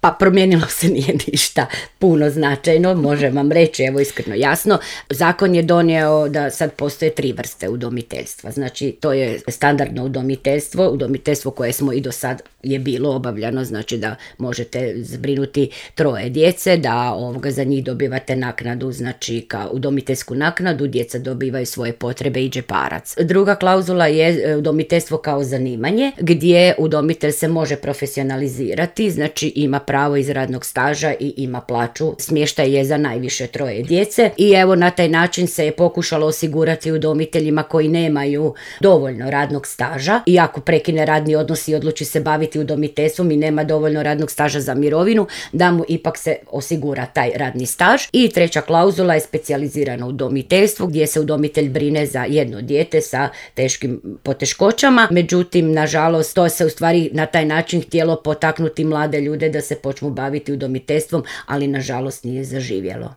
Pa promijenilo se nije ništa puno značajno, možem vam reći, evo iskreno jasno. Zakon je donio da sad postoje 3 vrste udomiteljstva. Znači to je standardno udomiteljstvo koje smo i do sad je bilo obavljano, znači da možete zbrinuti 3 djece, da za njih dobivate naknadu, znači kao udomiteljsku naknadu, djeca dobivaju svoje potrebe i džeparac. Druga klauzula je udomiteljstvo kao zanimanje, gdje udomitelj se može profesionalizirati, znači ima pravo iz radnog staža i ima plaću. Smještaj je za najviše 3 djece i evo na taj način se je pokušalo osigurati udomiteljima koji nemaju dovoljno radnog staža i ako prekine radni odnos i odluči se baviti udomiteljstvom i nema dovoljno radnog staža za mirovinu, da mu ipak se osigura taj radni staž. I 3. klauzula je specijalizirano udomiteljstvo gdje se udomitelj brine za jedno dijete sa teškim poteškoćama. Međutim, nažalost, to se u stvari na taj način htjelo potaknuti mlade ljude da se počnu baviti udomiteljstvom, ali nažalost nije zaživjelo.